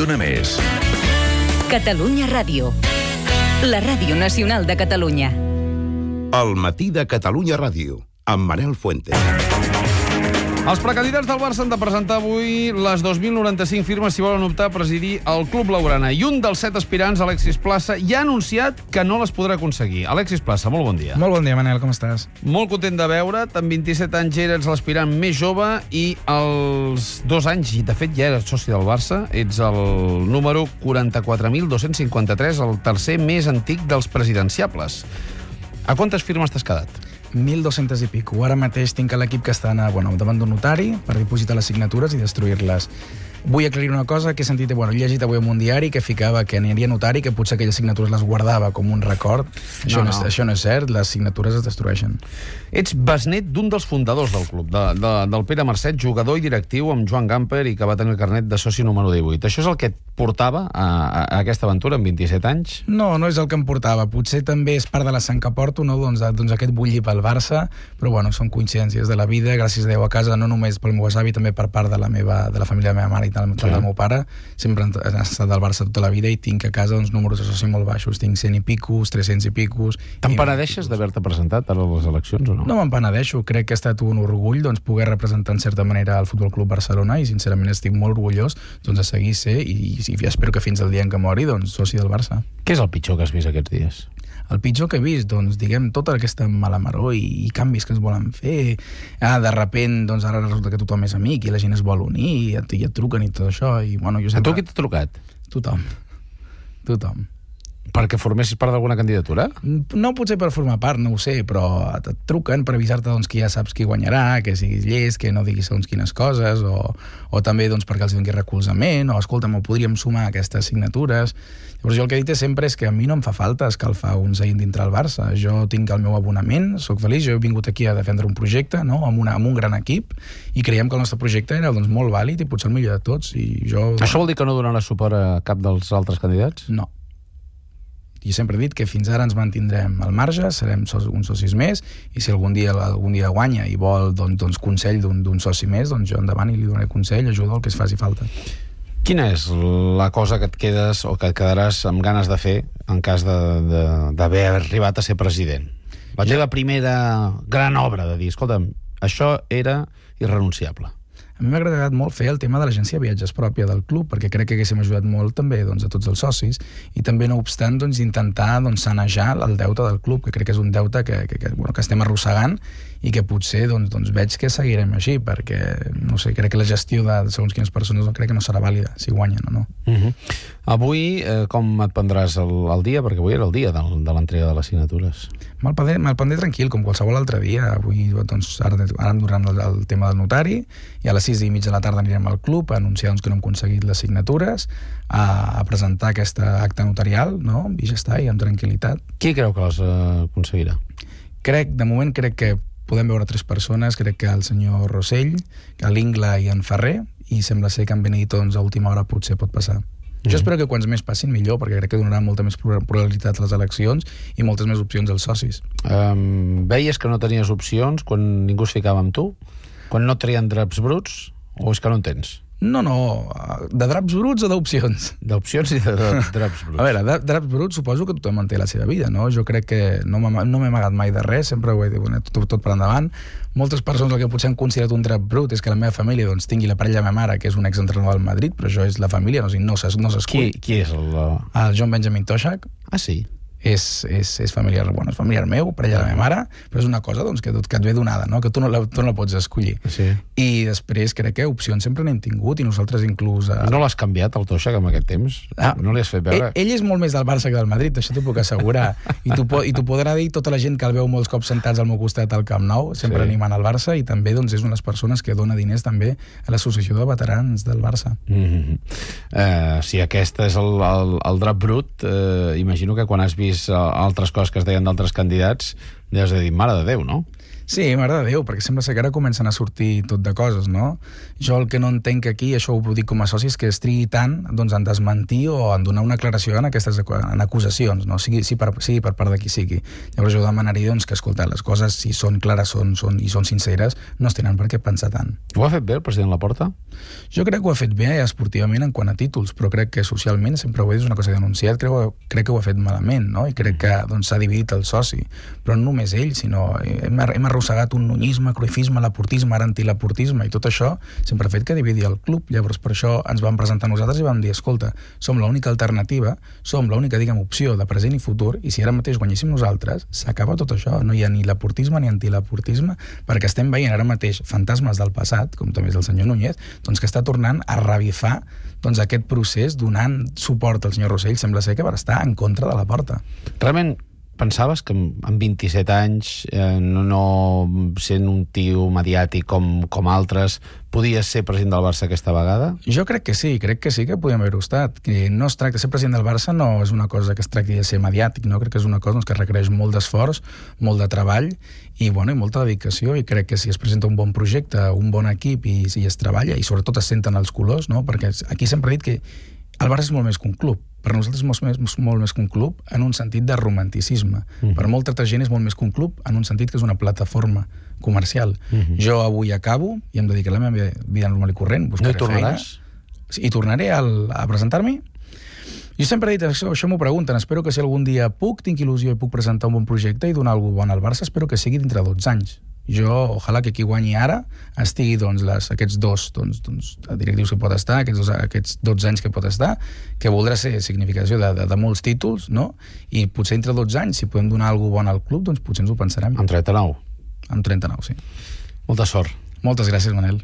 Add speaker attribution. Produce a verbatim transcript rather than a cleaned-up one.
Speaker 1: Dóna més.
Speaker 2: Catalunya Ràdio. La ràdio nacional de Catalunya.
Speaker 3: El matí de Catalunya Ràdio, amb Manel Fuentes.
Speaker 4: Els precandidats del Barça han de presentar avui les dos mil noranta-cinc firmes si volen optar a presidir el Club Blaugrana. I un dels set aspirants, Alexis Plaça, ja ha anunciat que no les podrà aconseguir. Alexis Plaça, molt bon dia.
Speaker 5: Molt bon dia, Manel, com estàs?
Speaker 4: Molt content de veure't. Amb vint-i-set anys eres l'aspirant més jove i als dos anys, i de fet ja eres soci del Barça, ets el número quaranta-quatre mil dos-cents cinquanta-tres, el tercer més antic dels presidenciables. A quantes firmes t'has quedat?
Speaker 5: mil dos-cents i pico. Ara mateix tinc l'equip que està bueno, davant d'un notari per dipositar les signatures i destruir-les. Vull aclarir una cosa que he sentit, bueno, he llegit avui en un diari que ficava que aniria notari, que potser aquelles signatures les guardava com un record. Això no, no, no. això no és cert, les signatures es destrueixen.
Speaker 4: Ets besnet d'un dels fundadors del club, de, de, del Pere Marcet, jugador i directiu amb Joan Gamper i que va tenir el carnet de soci número divuit. Això és el que et portava a, a, a aquesta aventura amb vint-i-set anys?
Speaker 5: No, no és el que em portava. Potser també és part de la sang que porto, no? doncs, doncs aquest bullir pel Barça, però bueno, són coincidències de la vida, gràcies a Déu a casa, no només pel meu avi, també per part de la, meva, de la família de la meva mare i del, sí. del meu pare. Sempre han estat del Barça tota la vida i tinc a casa uns números de soci molt baixos. Tinc cent i picos, tres-cents i picos...
Speaker 4: T'empenedeixes d'haver-te presentat ara a les eleccions o no?
Speaker 5: No m'empenedeixo. Crec que ha estat un orgull doncs, poder representar en certa manera el Futbol Club Barcelona i sincerament estic molt orgullós doncs, de seguir ser i, i, i espero que fins al dia en què mori doncs, soci del Barça.
Speaker 4: Què és el pitjor que has vist aquests dies?
Speaker 5: El pitjor que he vist, doncs, diguem, tota aquesta malamaró i, i canvis que es volen fer. Ah, de repent, doncs, ara resulta que tothom és amic i la gent es vol unir i et, i et truquen i tot això. I, bueno, jo sempre...
Speaker 4: A tu qui t'ha trucat?
Speaker 5: Tothom. Tothom.
Speaker 4: Perquè formessis part d'alguna candidatura?
Speaker 5: No potser per formar part, no ho sé, però et truquen per avisar-te doncs, que ja saps qui guanyarà, que siguis llest, que no diguis segons quines coses, o, o també doncs, perquè els doni recolzament, o escolta'm, ho podríem sumar a aquestes signatures. Llavors jo el que he dit sempre és que a mi no em fa falta escalfar un seient dintre el Barça. Jo tinc el meu abonament, sóc feliç, jo he vingut aquí a defendre un projecte, no? amb, una, amb un gran equip, i creiem que el nostre projecte era doncs, molt vàlid i potser el millor de tots. I jo...
Speaker 4: Això vol dir que no donaràs suport a cap dels altres candidats?
Speaker 5: No. I sempre he dit que fins ara ens mantindrem al marge, serem so uns socis més, i si algun dia algun dia guanya i vol doncs, doncs, consell d'un soci més, doncs jo endavant i li donaré consell, ajuda, el que es faci falta.
Speaker 4: Quina és la cosa que et quedes o que et quedaràs amb ganes de fer en cas d'haver arribat a ser president? La teva primera gran obra de dir, escolta'm, això era irrenunciable.
Speaker 5: A mi m'ha agradat molt fer el tema de l'agència de viatges pròpia del club, perquè crec que haguéssim ajudat molt també doncs, a tots els socis, i també, no obstant, doncs, intentar doncs, sanejar el deute del club, que crec que és un deute que, que, que, bueno, que estem arrossegant i que potser doncs, doncs, veig que seguirem així, perquè, no sé, crec que la gestió de, de segons quines persones no, crec que no serà vàlida, si guanyen o no.
Speaker 4: Uh -huh. Avui, eh, com et prendràs el, el dia? Perquè avui era el dia del, de l'entrega de les signatures.
Speaker 5: Me'l prendré, me prendré tranquil, com qualsevol altre dia. Avui, doncs, ara, ara em donaran el, el tema del notari, i a les sis i mig de la tarda anirem al club a anunciar doncs, que no hem aconseguit les signatures, a, a presentar aquesta acta notarial, no? I ja està, i amb tranquil·litat.
Speaker 4: Qui creu que les eh, aconseguirà?
Speaker 5: Crec, de moment crec que podem veure tres persones, crec que el senyor Rossell, l'Ingla i en Ferrer, i sembla ser que en Benedito doncs, a última hora potser pot passar. Mm. Jo espero que quants més passin millor, perquè crec que donarà molta més pluralitat a les eleccions i moltes més opcions als socis.
Speaker 4: Um, veies que no tenies opcions quan ningú es ficava amb tu? Quan no trien draps bruts? O és que no en tens?
Speaker 5: No, no, de draps bruts o d'opcions?
Speaker 4: D'opcions i de draps bruts.
Speaker 5: A veure, de draps bruts suposo que tothom en té la seva vida, no? Jo crec que no m'he amagat mai de res, sempre ho he dit, bueno, tot, tot per endavant. Moltes persones el que potser han considerat un drap brut és que la meva família doncs, tingui la parella de la meva mare, que és un exentrenador del Madrid, però això és la família, no, no s'escull.
Speaker 4: Qui, qui és el...
Speaker 5: El John Benjamin Toshak.
Speaker 4: Ah, sí?
Speaker 5: És, és, és, familiar, bueno, és familiar meu, parella de la meva mare, però és una cosa doncs, que, que et ve donada, no? Que tu no, la, tu no la pots escollir.
Speaker 4: Sí.
Speaker 5: I després crec que opcions sempre n'hem tingut i nosaltres inclús... A...
Speaker 4: No l'has canviat, el Toshak, en aquest temps? Ah, no li has fet veure?
Speaker 5: Ell, ell és molt més del Barça que del Madrid, això t'ho puc assegurar. I t'ho podrà dir tota la gent que el veu molts cops sentats al meu costat al Camp Nou, sempre sí. animant al Barça, i també doncs, és una de les persones que dona diners també a l'associació de veterans del Barça.
Speaker 4: Mm-hmm. uh, si aquest és el, el, el drap brut, uh, imagino que quan has vist altres coses que es deien d'altres candidats Deus de dir, mare de Déu, no?
Speaker 5: Sí, mare de Déu, perquè sembla ser que ara comencen a sortir tot de coses, no? Jo el que no entenc aquí, això ho dic com a soci, és que es trigui tant doncs, en desmentir o en donar una aclaració en aquestes en acusacions, no? Sigui, sigui, per, sigui per part de qui sigui. Llavors jo demanaria doncs, que, escolta, les coses, si són clares són, són, i són sinceres, no es tenen per què pensar tant.
Speaker 4: Ho ha fet bé el president Laporta?
Speaker 5: Jo crec que ho ha fet bé esportivament en quant a títols, però crec que socialment, sempre ho he dit, és una cosa que he denunciat, crec, crec que ho ha fet malament, no? I crec que doncs, s'ha dividit el soci. Però no només ell, sinó hem, hem arrossegat un nunyisme, cruifisme, laportisme, ara antilaportisme, i tot això sempre ha fet que dividi el club. Llavors per això ens vam presentar nosaltres i vam dir, escolta, som l'única alternativa, som l'única, diguem, opció de present i futur, i si ara mateix guanyéssim nosaltres, s'acaba tot això. No hi ha ni laportisme ni antilaportisme, perquè estem veient ara mateix fantasmes del passat, com també és el senyor Núñez, doncs que està tornant a revifar doncs, aquest procés donant suport al senyor Rossell. Sembla ser que va estar en contra de Laporta.
Speaker 4: Realment pensaves que amb vint-i-set anys, eh, no, no sent un tio mediàtic com, com altres, podies ser president del Barça aquesta vegada?
Speaker 5: Jo crec que sí, crec que sí que podíem haver-ho estat. Que no es tracta de ser president del Barça, no és una cosa que es tracti de ser mediàtic, no? Crec que és una cosa doncs, que requereix molt d'esforç, molt de treball i, bueno, i molta dedicació, i crec que si es presenta un bon projecte, un bon equip i si es treballa, i sobretot es senten els colors, no? Perquè aquí sempre he dit que el Barça és molt més que un club. Per nosaltres és molt més, molt més que un club en un sentit de romanticisme. Mm. Per molta altra gent és molt més que un club en un sentit que és una plataforma comercial. Mm-hmm. Jo avui acabo i em dedicaré a la meva vida normal i corrent.
Speaker 4: No hi tornaràs?
Speaker 5: Feina, I tornaré al, a presentar-m'hi. Jo sempre he dit, això, això m'ho pregunten, espero que si algun dia puc, tinc il·lusió i puc presentar un bon projecte i donar alguna cosa bon al Barça, espero que sigui dintre de dotze anys. Jo, ojalà que qui guanyi ara estigui doncs, les, aquests dos doncs, doncs, directius que pot estar, aquests, dos, aquests dotze anys que pot estar, que voldrà ser significació de, de, de molts títols, no? I potser entre dotze anys, si podem donar alguna bona al club, doncs potser ens ho pensarem.
Speaker 4: Amb trenta-nou?
Speaker 5: Amb trenta-nou, sí.
Speaker 4: Molta sort.
Speaker 5: Moltes gràcies, Manel.